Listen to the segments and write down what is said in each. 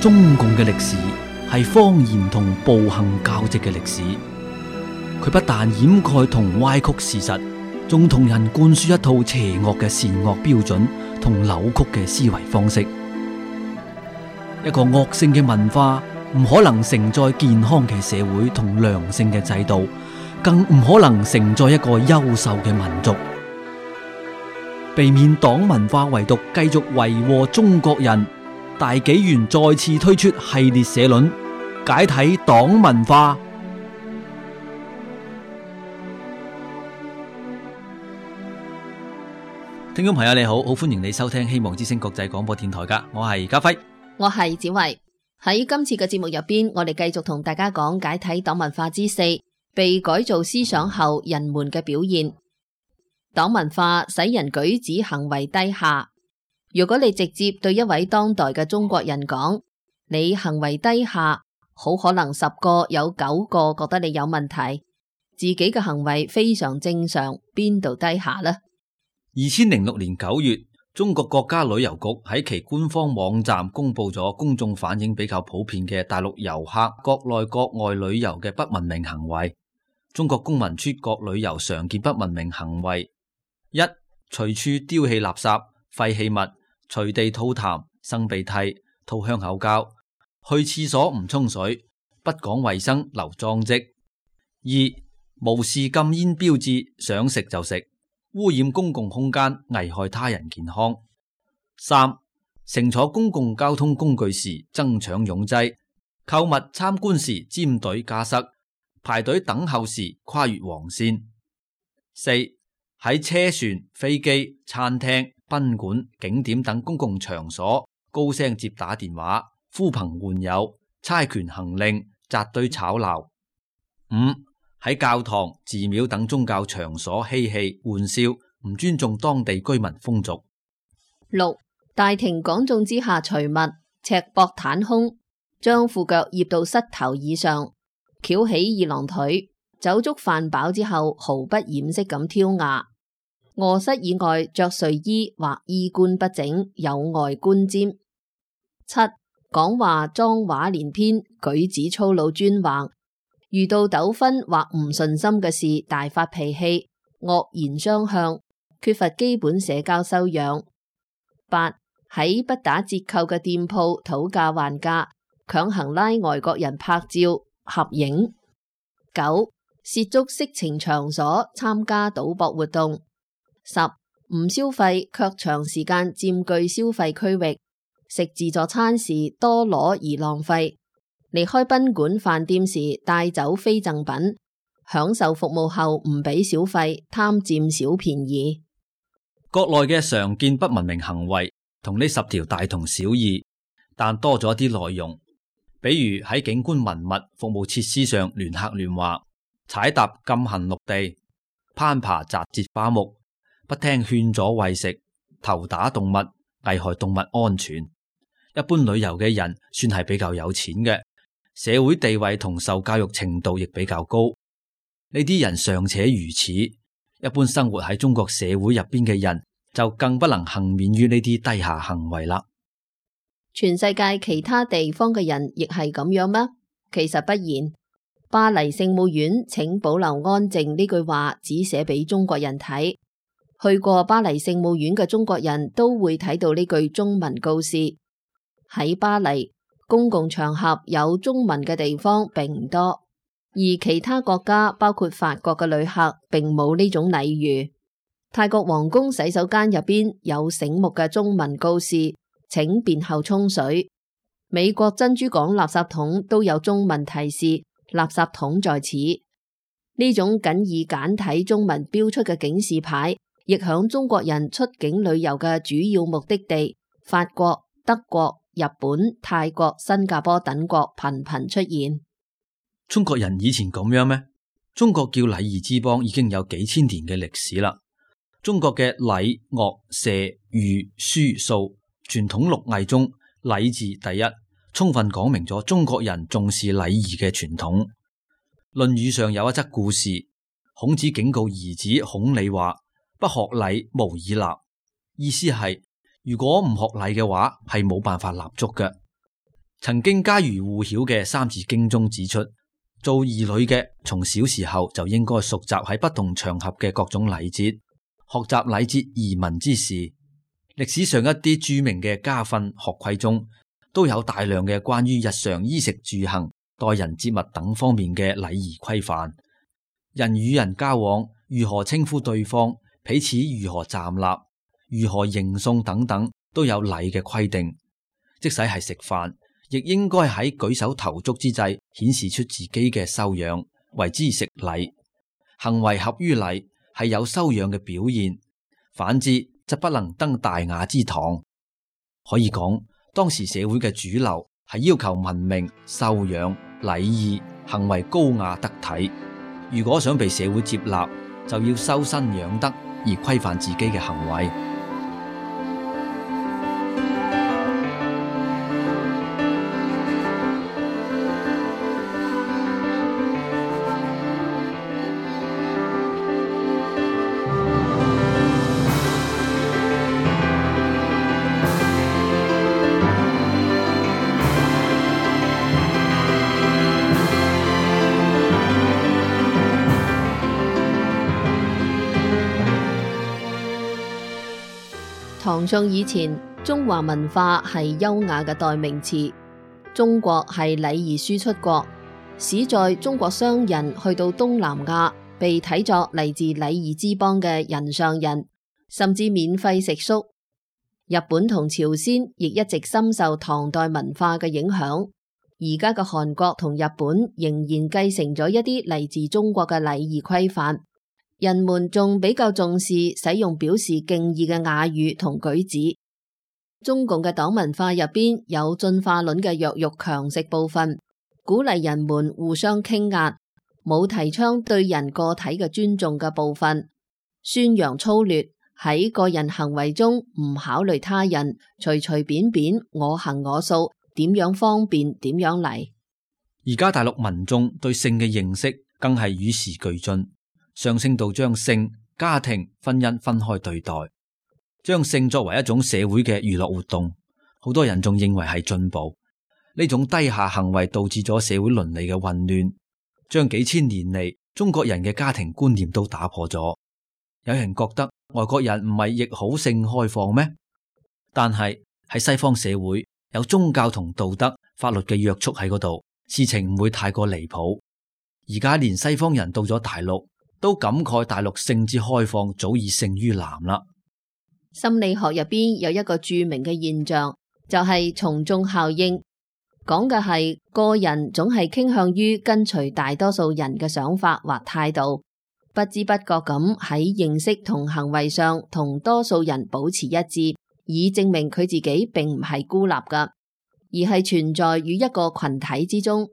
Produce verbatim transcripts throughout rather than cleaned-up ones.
中共嘅歷史係謊言同暴行交織嘅歷史，佢不但掩蓋同歪曲事實，仲同人灌輸一套邪惡嘅善惡標準同扭曲嘅思維方式。一個惡性嘅文化唔可能承載健康嘅社會同良性嘅制度，更唔可能承載一個優秀嘅民族。避免黨文化遺毒繼續為禍中國人，大紀元再次推出系列社論，解體黨文化。聽眾朋友你好，好歡迎你收聽希望之聲國際廣播電台噶，我係家輝，我係子慧。喺今次嘅節目入邊，我哋繼續同大家講解體黨文化之四，被改造思想後人們嘅表現。黨文化使人舉止行為低下。如果你直接對一位當代嘅中國人講你行為低下，好可能十個有九個覺得你有問題，自己嘅行為非常正常，邊度低下呢？二千零六年九月，中國國家旅遊局喺其官方網站公布咗公眾反映比較普遍嘅大陸遊客國內國外旅遊嘅不文明行為。中國公民出國旅遊常見不文明行為：一、隨處丟棄垃圾、廢棄物，隨地吐痰、擤鼻涕、吐香口膠，去廁所唔沖水，不講衛生、留髒跡；二、無視禁煙標誌，想食就食，污染公共空間，危害他人健康；三、乘坐公共交通工具時爭搶擁擠，購物參觀時尖隊加塞，排隊等候時跨越黃線；四、喺車船、飛機、餐廳、賓館、景點等公共場所高聲接打電話、呼朋喚友、猜拳行令、紮堆吵鬧；五、喺教堂、寺廟等宗教場所嬉戲玩笑，唔尊重當地居民風俗；六、大庭廣眾之下除襪、赤膊袒胸，將褲腳掖到膝頭以上，翹起二郎腿，酒足飯飽之後毫不掩飾咁挑牙。臥室以外着睡衣或衣冠不整，有礙觀瞻。七、講話髒話連篇，舉止粗魯專橫，遇到糾紛或唔順心嘅事大發脾氣，惡言相向，缺乏基本社交修養。八、喺不打折扣嘅店鋪討價還價，強行拉外國人拍照合影。九、涉足色情場所，參加賭博活動。十、唔消費卻長時間佔據消費區域，食自助餐時多攞而浪費，離開賓館飯店時帶走非贈品，享受服務後唔俾小費，貪佔小便宜。國內嘅常見不文明行為同呢十條大同小異，但多咗一啲內容，比如喺景觀文物服務設施上亂刻亂畫，踩踏禁行綠地，攀爬摘節花木，不聽勸阻餵食，投打動物，危害動物安全。一般旅遊嘅人算係比較有錢嘅，社會地位同受教育程度亦比較高。呢啲人尚且如此，一般生活喺中國社會入邊嘅人就更不能幸免於呢啲低下行為啦。全世界其他地方嘅人亦係咁樣咩？其實不然。巴黎聖母院請保留安靜呢句話只寫俾中國人睇。去過巴黎聖母院嘅中國人都會睇到呢句中文告示。喺巴黎，公共場合有中文嘅地方並唔多，而其他國家包括法國嘅旅客並冇呢種禮遇。泰國皇宮洗手間入邊有醒目嘅中文告示，請便後沖水。美國珍珠港垃圾桶都有中文提示，垃圾桶在此。呢種僅以簡體中文標出嘅警示牌，亦響中國人出境旅遊嘅主要目的地法國、德國、日本、泰國、新加坡等國頻頻出現。中國人以前咁樣咩？中國叫禮儀之邦已經有幾千年嘅歷史啦。中國嘅禮、樂、射、御、書、數傳統六藝中，禮字第一，充分講明咗中國人重視禮儀嘅傳統。論語上有一則故事，孔子警告兒子孔鯉話：不學禮，無以立。意思係如果唔學禮嘅話，係冇辦法立足嘅。曾經家喻戶曉嘅《三字經》中指出，做兒女嘅從小時候就應該熟習喺不同場合嘅各種禮節，學習禮節儀文之事。歷史上一啲著名嘅家訓學規中，都有大量嘅關於日常衣食住行、待人接物等方面嘅禮儀規範。人與人交往，如何稱呼對方，彼此如何站立，如何迎送等等，都有禮嘅規定。即使係食飯，亦應該喺舉手投足之際顯示出自己嘅修養，為之食禮。行為合於禮係有修養嘅表現，反之則不能登大雅之堂。可以講，當時社會嘅主流係要求文明、修養、禮儀、行為高雅得體。如果想被社會接納，就要修身養德而規範自己嘅行為。唐宋以前，中華文化係優雅嘅代名詞。中國係禮儀輸出國，史在中國商人去到東南亞，被睇作嚟自禮儀之邦嘅人上人，甚至免費食宿。日本同朝鮮亦一直深受唐代文化嘅影響。而家嘅韓國同日本仍然繼承咗一啲嚟自中國嘅禮儀規範。人們仲比較重視使用表示敬意嘅雅語同舉止。中共嘅黨文化入邊有進化論嘅弱肉強食部分，鼓勵人們互相傾壓，冇提倡對人個體嘅尊重嘅部分，宣揚粗劣，喺個人行為中唔考慮他人，隨隨便便我行我素，點樣方便點樣嚟。而家大陸民眾對性嘅認識更係與時俱進，上升到將性、家庭、婚姻分開對待，將性作為一種社會嘅娛樂活動。好多人仲認為係進步。呢種低下行為導致咗社會倫理嘅混亂，將幾千年嚟中國人嘅家庭觀念都打破咗。有人覺得外國人唔係亦好性開放咩？但係喺西方社會有宗教同道德、法律嘅約束喺嗰度，事情唔會太過離譜。而家連西方人到咗大陸，都感慨大陸性之開放早已勝於南啦。心理學入邊有一個著名嘅現象，就係從眾效應，講嘅係個人總係傾向於跟隨大多數人嘅想法或態度，不知不覺咁喺認識同行為上同多數人保持一致，以證明佢自己並唔係孤立噶，而係存在於一個群體之中。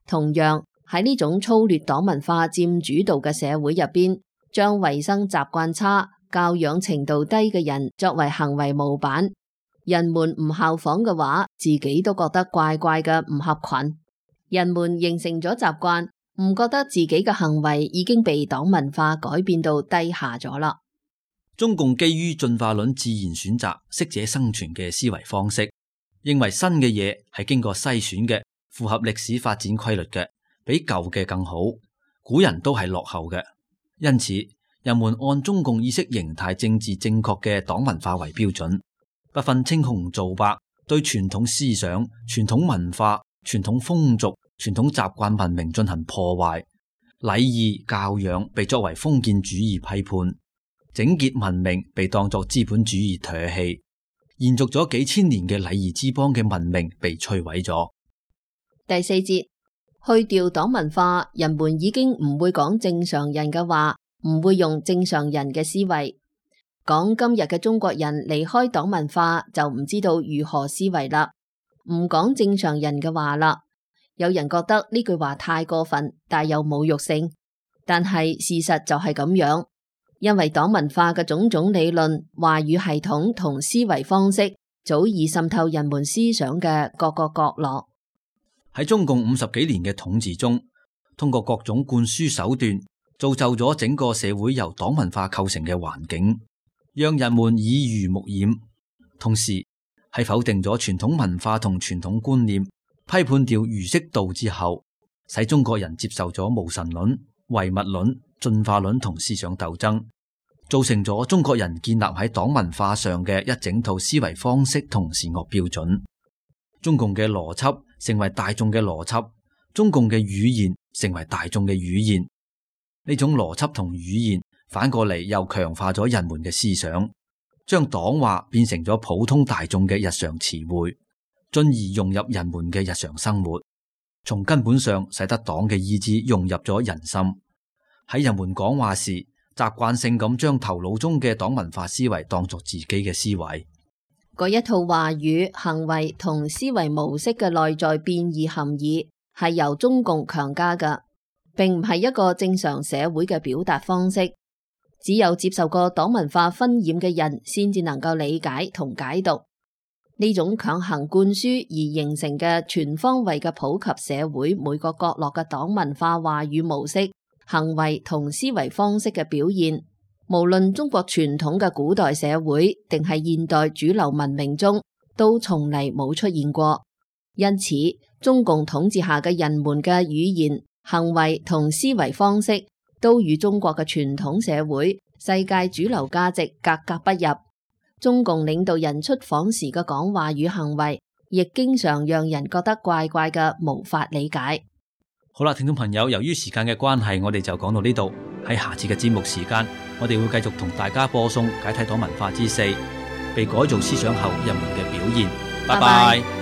同樣，喺呢種粗劣黨文化佔主導嘅社會入邊，將衛生習慣差、教養程度低嘅人作為行為模板，人們唔效仿嘅話，自己都覺得怪怪嘅，唔合群。人們形成咗習慣，唔覺得自己嘅行為已經被黨文化改變到低下咗啦。中共基於進化論自然選擇適者生存嘅思維方式，認為新嘅嘢係經過篩選嘅，符合歷史發展規律嘅，比舊嘅更好。古人都係落後嘅，因此人們按中共意識形態政治正確嘅黨文化為標準，不分青紅皂白，對傳統思想、傳統文化、傳統風俗、傳統習慣文明進行破壞。禮儀教養被作為封建主義批判，整潔文明被當作資本主義唾棄，延續咗幾千年嘅禮儀之邦嘅文明被摧毀咗。第四節，去掉黨文化，人們已經唔會講正常人嘅話，唔會用正常人嘅思維。講今日嘅中國人離開黨文化就唔知道如何思維啦，唔講正常人嘅話啦。有人覺得呢句話太過分，帶有侮辱性，但係事實就係咁樣，因為黨文化嘅種種理論、話語系統同思維方式早已滲透人們思想嘅各個角落。喺中共五十幾年嘅統治中，通過各種灌輸手段，造就咗整個社會由黨文化構成嘅環境，讓人們耳濡目染，同時係否定咗傳統文化同傳統觀念，批判掉儒釋道之後，使中國人接受咗無神論、唯物論、進化論同思想鬥爭，造成咗中國人建立喺黨文化上嘅一整套思維方式同善惡標準。中共嘅邏輯成為大眾嘅邏輯，中共嘅語言成為大眾嘅語言。呢種邏輯同語言反過嚟又強化咗人們嘅思想，將黨話變成咗普通大眾嘅日常詞彙，進而融入人們嘅日常生活，從根本上使得黨嘅意志融入咗人心。喺人們講話時，習慣性咁將頭腦中嘅黨文化思維當作自己嘅思維。嗰一套話語、行為同思維模式嘅內在變異含義係由中共強加嘅，並唔係一個正常社會嘅表達方式。只有接受過黨文化熏染嘅人，先至能夠理解同解讀呢種強行灌輸而形成嘅全方位嘅普及社會每個角落嘅黨文化話語模式、行為同思維方式嘅表現。無論中國傳統嘅古代社會定係現代主流文明中，都從嚟冇出現過。因此，中共統治下嘅人們嘅語言、行為同思維方式都與中國嘅傳統社會、世界主流價值格格不入。中共領導人出訪時嘅講話與行為，亦經常讓人覺得怪怪嘅，無法理解。好啦，聽眾朋友，由於時間嘅關係，我哋就講到呢度。喺下次嘅節目時間，我哋會繼續同大家播送解體黨文化之四，被改造思想後人們嘅表現。拜拜。拜拜。